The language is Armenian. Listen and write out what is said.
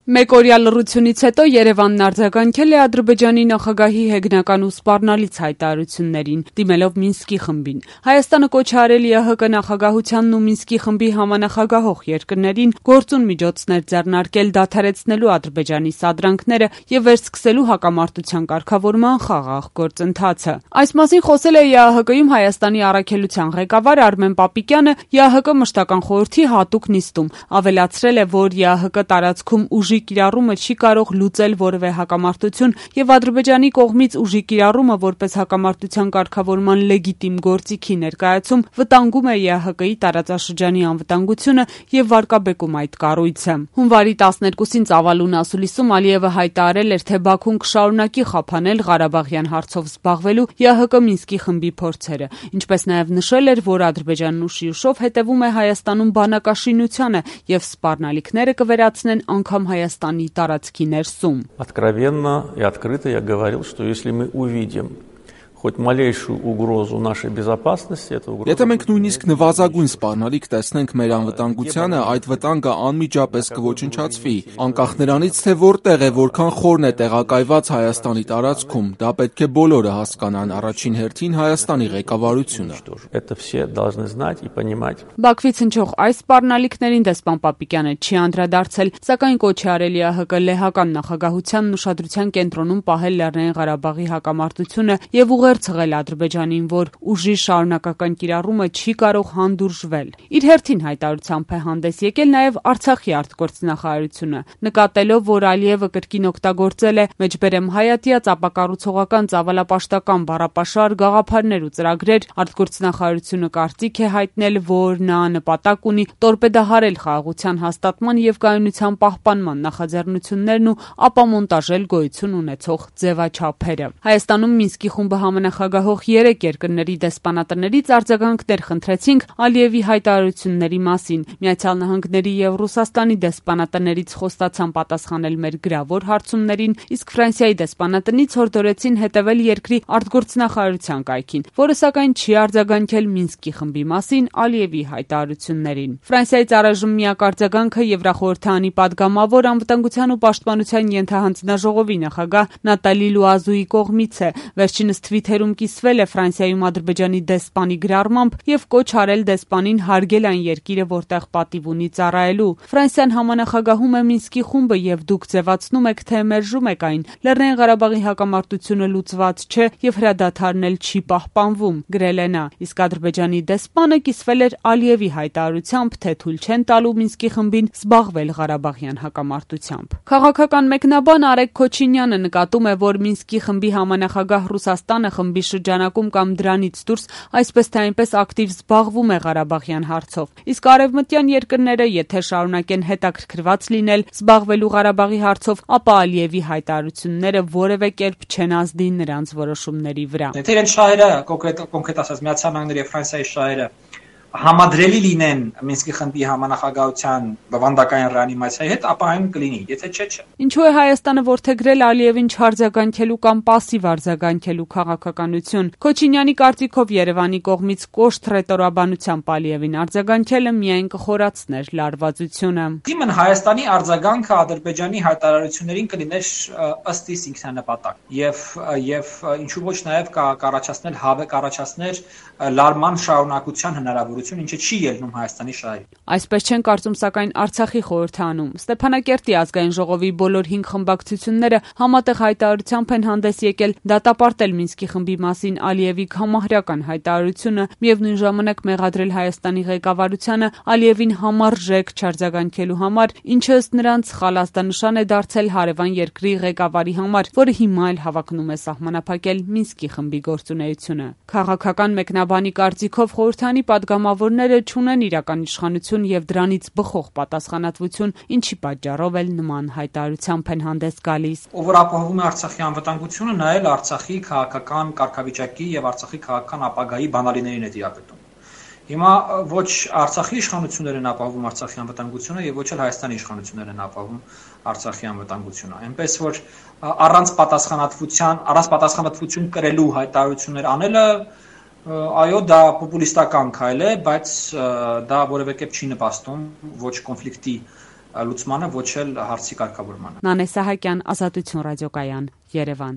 Մեկօրյա լռությունից հետո Երևանն արձագանքել է Ադրբեջանի նախագահի հեգնական ու սպառնալից հայտարարություններին, դիմելով Մինսկի խմբին։ Հայաստանը կոչ է արել ԵՀԿ նախագահությանն ու Մինսկի խմբի համանախագահող երկրներին գործուն միջոցներ ձեռնարկել դադարեցնելու Ադրբեջանի սադրանքները եւ վերսկսելու հակամարտության կարգավորման խաղաղ գործընթացը։ Այս մասին խոսել է ԵԱՀԿ-ում Հայաստանի առաքելության ղեկավար Արմեն Պապիկյանը ԵԱՀԿ մշտական խորհրդի հատուկ նիստում, ավելացրել է, որ ԵԱՀԿ տարածքում ուժի կիրառումը չի կարող լուծել որևէ հակամարտություն եւ Ադրբեջանի կողմից ուժի կիրառումը որպես հակամարտության կարգավորման լեգիտիմ գործիքի ներկայացում վտանգում է ԵԱՀԿ-ի տարածաշրջանի անվտանգությունը եւ վարկաբեկում այդ կառույցը։ Հունվարի 12-ին Ծավալուն ասուլիսում Ալիևը հայտարարել էր, թե Բաքուն կշարունակի խափանել Ղարաբաղյան հարցով զբաղվելու ԵԱՀԿ Մինսկի խմբի փորձերը, ինչպես նաեւ նշել էր, որ Ադրբեջանն ուշիուշով հետևում է Հայաստանում բանակաշինությանը եւ սպառնալիքները կվերացնեն անգամ Հայաստանի տարածքի ներսում։ Откровенно и открыто я говорил, что если мы увидим хоть малейшую угрозу нашей безопасности, это угроза. Եթե մենք նույնիսկ նվազագույն սպառնալիք տեսնենք մեր անվտանգությանը, այդ վտանգը անմիջապես կոչնչացվի, անկախ նրանից, թե որտեղ է, որքան խորն է տեղակայված Հայաստանի տարածքում, դա պետք է բոլորը հասկանան, առաջին հերթին Հայաստանի ղեկավարությունը։ Это все должны знать и понимать. Բաքվից հնչող այս սպառնալիքներին դեսպան Պապիկյանը չի անդրադարձել, սակայն կոչ է արել ԵԱՀԿ լեհական նախագահությանն ուշադրության կենտրոնում պահել Լեռնային Ղարաբաղի հակամարտությունը եւ ցղել Ադրբեջանին, որ ուժի շարունակական կիրառումը չի կարող հանդուրժվել։ Իր հերթին հայտարարությամբ է հանդես եկել նաև Արցախի արտգործնախարարությունը, նկատելով, որ Ալիևը կրկին օգտագործել է մեջբերեմ հայատյաց ապակառուցողական ծավալապաշտական բառապաշար գաղափարներ ու ծրագրեր, արտգործնախարարությունը կարծիք է հայտնել, որ նա նպատակ ունի տորպեդահարել խաղաղության հաստատման եւ կայունության պահպանման նախաձեռնություններն ու ապամոնտաժել գոյություն ունեցող ձևաչափերը։ Հայաստանում Մինսկի խումբը նախագահող 3 երկրների դեսպանատներից արձագանքներ խնդրեցինք Ալիևի հայտարարությունների մասին։ Միացյալ Նահանգների եւ Ռուսաստանի դեսպանատներից խոստացան պատասխանել մեր գրավոր հարցումներին, իսկ Ֆրանսիայի դեսպանատնից հորդորեցին հետևել երկրի արտգործնախարարության կայքին, որը սակայն չի արձագանքել Մինսկի խմբի մասին Ալիևի հայտարարություններին։ Ֆրանսիայից առայժմ միակ արձագանքը Եվրախորհրդանի падգամավոր անվտանգության ու պաշտպանության ենթահանձնաժողովի նախագահ Նատալի Լուազուի կողմից է։ Վերջինս թվիթերում կիսվել է Ֆրանսիայում Ադրբեջանի դեսպանի գրառմամբ եւ կոչ արել դեսպանին հարգել այն երկիրը, որտեղ պատիվ ունի ծառայելու։ Ֆրանսիան համանախագահում է Մինսկի խումբը եւ դուք ձևացնում եք, թե մերժում եք այն։ Լեռնային Ղարաբաղի հակամարտությունը լուծված չէ եւ հրադադարն էլ չի պահպանվում, գրել է նա։ Իսկ Ադրբեջանի դեսպանը կիսվել էր Ալիևի հայտարարությամբ, թե թույլ չեն տալու Մինսկի խմբին զբաղվել Ղարաբաղյան հակամարտությամբ։ Քաղաքական մեկնաբան Արեգ Քոչինյանը նկատում է, որ Մինսկի խմբի համանախագահ Ռուսաստանը խմբի շրջանակում կամ դրանից դուրս այսպես թե այնպես ակտիվ զբաղվում է Ղարաբաղյան հարցով։ Իսկ արևմտյան երկրները, եթե շարունակեն հետաքրքրված լինել զբաղվելու Ղարաբաղի հարցով, ապա Ալիևի հայտարարությունները որևէ կերպ չեն ազդի նրանց որոշումների վրա։ Եթե իրենց շահերը, կոնկրետ ասած, Միացյալ Նահանգների եւ Ֆրանսիայի շահերը համադրելի լինեն Մինսկի խմբի համանախագահության բովանդակային ռեանիմացիայի հետ, ապա այն կլինի, եթե չէ։ Ինչու է Հայաստանը որդեգրել Ալիևին չարձագանքելու կամ պասիվ արձագանքելու քաղաքականություն։ Քոչինյանի կարծիքով Երևանի կողմից կոշտ ռետորաբանությամբ Ալիևին արձագանքելը միայն կխորացներ լարվածությունը։ Իմն Հայաստանի արձագանքը Ադրբեջանի հայտարարություններին կլիներ ըստ իս ինքնանպատակ եւ ինչու ոչ նաեւ կառաջացնել հավեք առաջացներ լարման շարունակության հնարավորություն, ինչը չի ելնում Հայաստանի շահերին։ Այսպես չեն կարծում սակայն Արցախի խորհրդանում։ Ստեփանակերտի ազգային ժողովի բոլոր 5 խմբակցությունները համատեղ հայտարարությամբ են հանդես եկել դատապարտել Մինսկի խմբի մասին Ալիևի համահրական հայտարարությունը, միևնույն ժամանակ մեղադրել Հայաստանի ղեկավարությանը Ալիևին համարժեք չարձագանքելու համար, ինչը ըստ նրանց խալաստանշան է դարձել հարևան երկրի ղեկավարի համար, որը հիմա էլ հավակնում է սահմանափակել Մինսկի խմբի գործունեությունը։ Քաղաքական մեկնաբանի կարծիքով խորհրդանի падգամավորները չունեն իրական իշխանություն եւ դրանից բխող պատասխանատվություն, ինչի պատճառով էլ նման հայտարարությամբ են հանդես գալիս։ Ով որ ապահովում է Արցախի անվտանգությունը, նա էլ Արցախի քաղաքական կարգավիճակի եւ Արցախի քաղաքական ապագայի բանալիներին է դիապետում։ Հիմա ոչ Արցախի իշխանություններն են ապահովում Արցախի անվտանգությունը եւ ոչ էլ Հայաստանի իշխանություններն են ապահովում Արցախի անվտանգությունը։ Այնպես որ առանց պատասխանատվություն կրելու հայտարարություններ անելը այո, դա պոպուլիստական քայլ է, բայց դա որևէ կերպ չի նպաստում ոչ կոնֆլիկտի լուծմանը, ոչ էլ հարցի կարգավորմանը։ Նանե Սահակյան, Ազատություն ռադիոկայան, Երևան։